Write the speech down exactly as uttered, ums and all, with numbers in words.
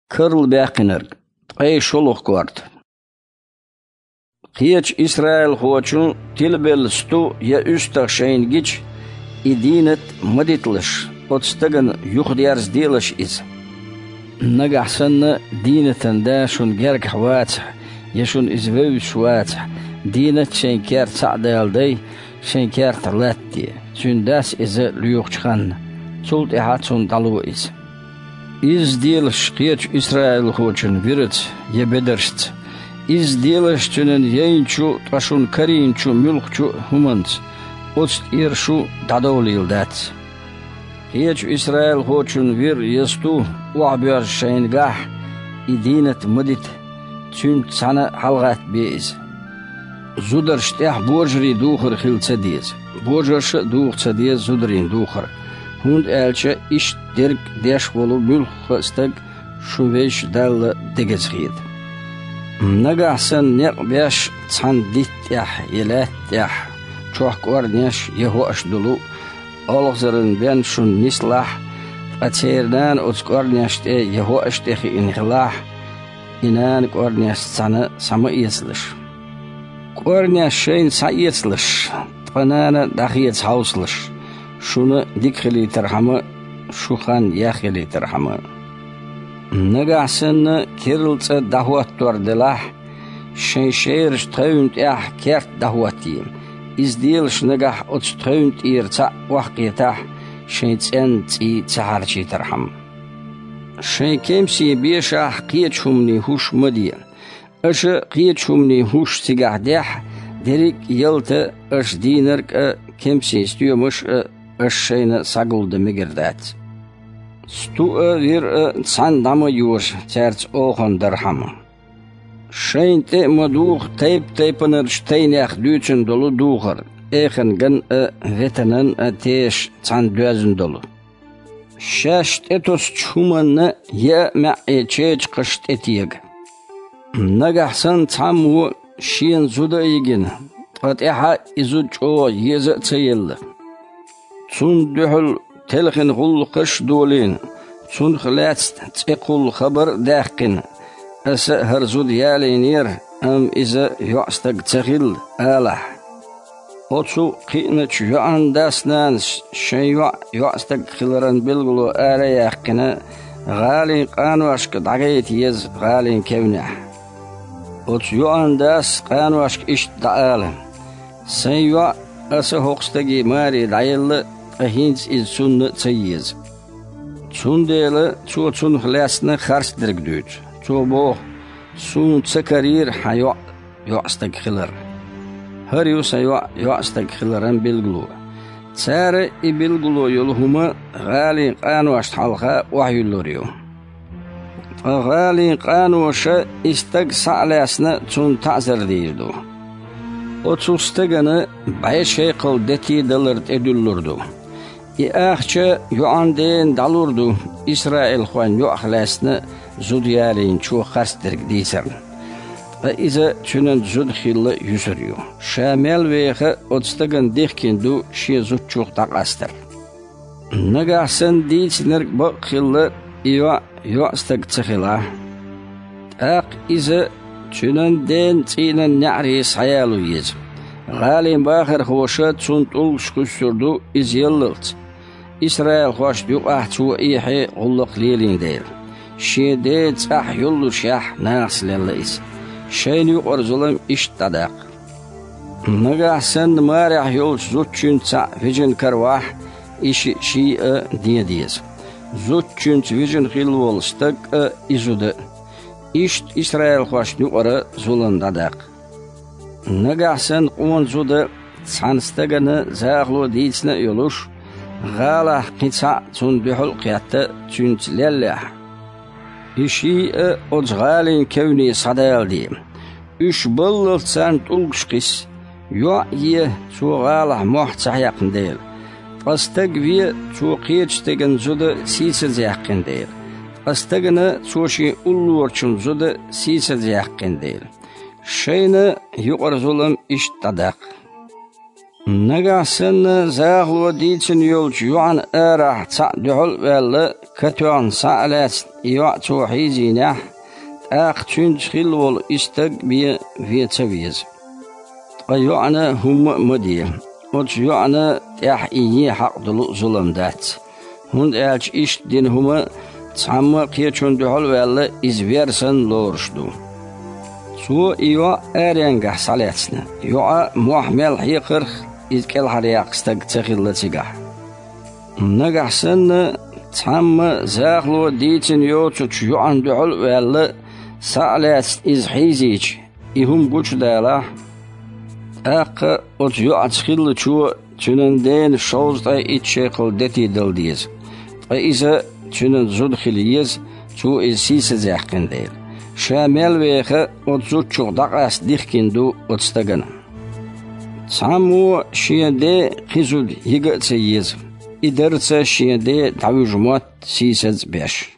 Карла баьккхинарг, ткъе шолгӀа корта. Кхечу исраилхочун тилабелла сту я уьстагӀ шайна гича, и дийнат ма диталаш, оцу стагана юхадерзаделаш иза. Нагахь санна дийнатан да шуна гергахь вацахь, я шуна иза вевзаш вацахь, дийнат шайн керта схьа а даладай, шайн кертахь латтаде, цуьнан дас иза лоьхучу ханна, цул тӀаьхьа цунна дӀало иза. Изза делаш кхечу исраилхочун вираца я бедаршца, изза делаш цуьнан яйначу, ткъа шуна карийначу муьлххачу а хӀуманца, оцу тӀера шу дӀадовлийла дац. Кхечу исраилхочун вир я сту охьабоьрзуш шайна гахь, и дийнат ма дита, цуьнца цхьаьна хьалагӀаттабе иза. Зударшна тӀехь божарийн духар хила ца деза, божарша а духа ца деза зударийн духар, хӀунда аьлча иштта дерг деш волу муьлхха а стаг шун Везачу Далла дегаза хета. Нагахь санна некъ беш цхьана дитта тӀехь я лаьтта тӀехь чохь кӀорнеш я хӀоаш долу, олхазаран бен шуна нислахь, ткъа церан нана оцу кӀорнеш тӀе я хӀоаш тӀе хиъна хилахь, и нана кӀорнешца цхьаьна схьа ма эцалаш. КӀорнеш шайна схьаэцалаш, ткъа нана дӀахеца хьовсалаш, шуна дика хилийтархьама, шун хан еха хилийтархьама. Нагахь санна керла цӀа дӀахӀоттор делахь, шайн шерачу тхевна тӀехь керт дӀахӀоттае, изза делаш нагахь оцу тхевна тӀера цхьаъ охьакхетахь, шайн цӀенна цӀий ца хьарчийтархьама. Шайн кемсийн бешахь кхечу хӀуманийн хӀуш ма де. Аша кхечу хӀуманийн хӀуш цигахь дехь, дерриг а ялта, аша дийнарг а, кемсийн стоьмаш а аша шайна схьагулдан мегар дац. Сту а, вир а цхьаьна дӀа ма йожа, цаьрца оханан дархьама. Шайна тӀе а ма духа тайп-тайпанарчу тайнех дуьйцина долу духар, эхан ган а, ветанан а тешаш цхьаьна доьзна долу. Шаьш тӀетосучу хӀуманна яа маьӀӀе чечакхаш тӀетега. Нагахь санна цхьаммо шена зуда а йигина, ткъа тӀаьхьа и зуда чӀогӀа еза а ца елла, цунна дуьхьал телхина гӀуллакхаш а долийна, цунах лаьцна цӀе кхулла хабар а даьккхина, аса а хӀара зуда ялийнера, амма иза йоӀстаг ца хилла, алахь. Оцу кхиъначу йоӀан дас-нанас шайн йоӀ йоӀстаг хиларан билгало ара а яьккхина, гӀалин къаношка дӀагайта еза гӀалин кевнехь. Оцу йоӀан дас къаношка иштта дӀаала: «Сайн йоӀ аса хӀокху стаге маре дӀаелла, ткъа хӀинца иза цунна а ца еза. Цундела цо цунах лаьцна харцдерг дуьйцу. Цо боху: „Суна ца карийра хьан йоӀ йоӀстаг хилар“. ХӀара ю сан йоӀ йоӀстаг хиларан билгало». Цара и билгало йолу хӀума гӀалин къаношна хьалха охьаюьллур ю. Ткъа гӀалин къаноша и стаг схьа а лаьцна, цунна таӀзар дийр ду. Оцу стагана бӀе шекхал дети далар тӀедуьллур ду. И ахча йоӀан дена дӀалур ду, исраилхойн йоӀах лаьцна зуда ялийначо харцдерг дийцарна. Ткъа иза цуьнан зуда хилла юьсур ю. Ша мел веха оцу стагана дихкина ду шен зудчух дӀакъастар. Нагахь санна дийцинарг бакъ хилла, и йоӀ йоӀстаг ца хилахь. ТӀаккха иза цуьнан ден цӀийнан неӀаре схьаяло еза. ГӀалин бахархоша цунна тӀулгаш кхуьссур ду иза яллалц, исраилхошна юкъахь цо эхье гӀуллакх лелийна дела, шен ден цӀахь йоллушехь нахаца лелла иза. Шайна юкъара зулам иштта дӀадаккха. Нагахь санна марехь йолчу зудчуьнца цхьаъ вижина каравахь, и шиъ ший а ден деза, зудчуьнца вижина хилла волу стаг а, и зуда а. Иштта исраилхошна юкъара зулам дӀадаккха. Нагахь санна къона зуда цхьана стагана захало дийцина а йолуш, гӀалахь кхин цхьаъ цунна дуьхьал а кхетта, цуьнца леллехь, и ший а оцу гӀалин кевне схьадаладе. Уьш баллалц царна тӀулгаш кхисса. ЙоӀ е, цо гӀалахь мохь ца хьекхна дела. Ткъа стаг ве, цо кхечу стеган зуда сийсазъяьккхина дела. Ткъа стагана цо шен уллорачун зуда сийсазъяьккхина дела. Шайна юкъара зулам иштта дӀадаккха. Нагахь санна захало дийцина йолчу йоӀана арахь цхьаъ дуьхьал а ваьлла, катоьхна схьа а лаьцна, и йоӀ цо хьийзийнехь, тӀаккха цуьнца хилла волу и стаг а бен вен ца веза. Ткъа йоӀана хӀумма а ма де. Оцу йоӀана тӀехь и ен хьакъ долу а зулам дац. ХӀунда аьлча иштта дина хӀума цхьамма а кхечунна дуьхьал а ваьлла, иза вер санна лоруш ду. Цо и йоӀ аренгахь схьалаьцна, йоӀа мохь мел хьекхарх, иза кӀелхьаръяккха стаг ца хилла цигахь. Нагахь санна, цхьамма захало дийцина йоцучу йоӀана дуьхьал а ваьлла, схьа а лаьцна иза хьийзийча, и хӀума гучудалахь, тӀаккха оцу йоӀаца хиллачо цуьнан дена шовзткъе итт шекхал дети дала деза, ткъа иза цуьнан зуда хила еза, цо иза сийсазъяьккхина дела. Ша мел веха, оцу зудчух дӀакъаста дихкина ду оцу стагана. Цхьаммо шен ден кхин зуда йига а ца еза, и дарца шен ден дӀавуьжу мотт сийсаз а беш.